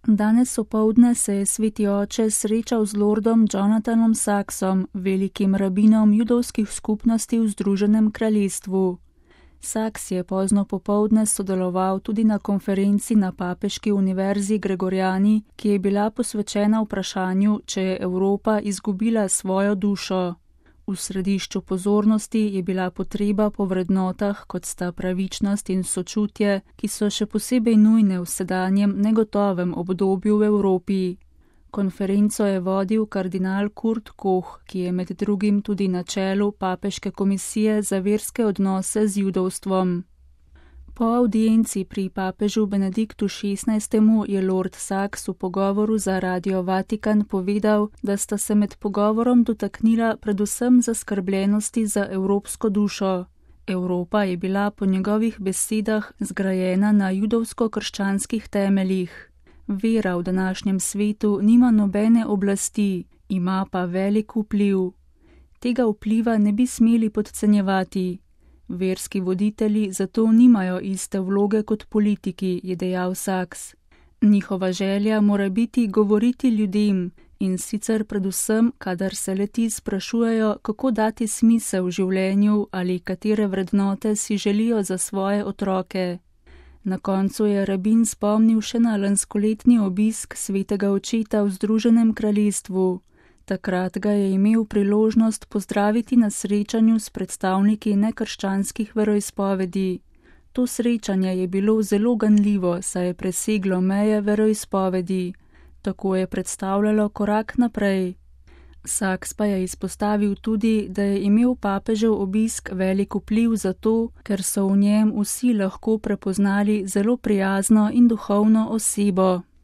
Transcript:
Danes opoldne se je sveti oče srečal z lordom Jonathanom Saxom, velikim rabinom judovskih skupnosti v Združenem kraljestvu. Saks je pozno popoldne sodeloval tudi na konferenci na Papeški univerzi Gregoriani, ki je bila posvečena vprašanju, če je Evropa izgubila svojo dušo. V središču pozornosti je bila potreba po vrednotah, kot sta pravičnost in sočutje, ki so še posebej nujne v sedanjem negotovem obdobju v Evropi. Konferenco je vodil kardinal Kurt Koch, ki je med drugim tudi na čelu Papeške komisije za verske odnose z judovstvom. Po avdienci pri papežu Benediktu XVI. Je lord Saks v pogovoru za Radio Vatikan povedal, da sta se med pogovorom dotaknila predvsem zaskrbljenosti za evropsko dušo. Evropa je bila po njegovih besedah zgrajena na judovsko-krščanskih temeljih. Vera v današnjem svetu nima nobene oblasti, ima pa velik vpliv. Tega vpliva ne bi smeli podcenjevati. Verski voditelji zato nimajo iste vloge kot politiki, je dejal Saks. Njihova želja mora biti govoriti ljudem, in sicer predvsem, kadar se le-ti sprašujejo, kako dati smisel življenju ali katere vrednote si želijo za svoje otroke. Na koncu je rabin spomnil še na lanskoletni obisk svetega očeta v Združenem kraljestvu. Takrat ga je imel priložnost pozdraviti na srečanju s predstavniki nekrščanskih veroizpovedi. To srečanje je bilo zelo ganljivo, saj je preseglo meje veroizpovedi. Tako je predstavljalo korak naprej. Saks pa je izpostavil tudi, da je imel papežev obisk velik vpliv zato, ker so v njem vsi lahko prepoznali zelo prijazno in duhovno osebo.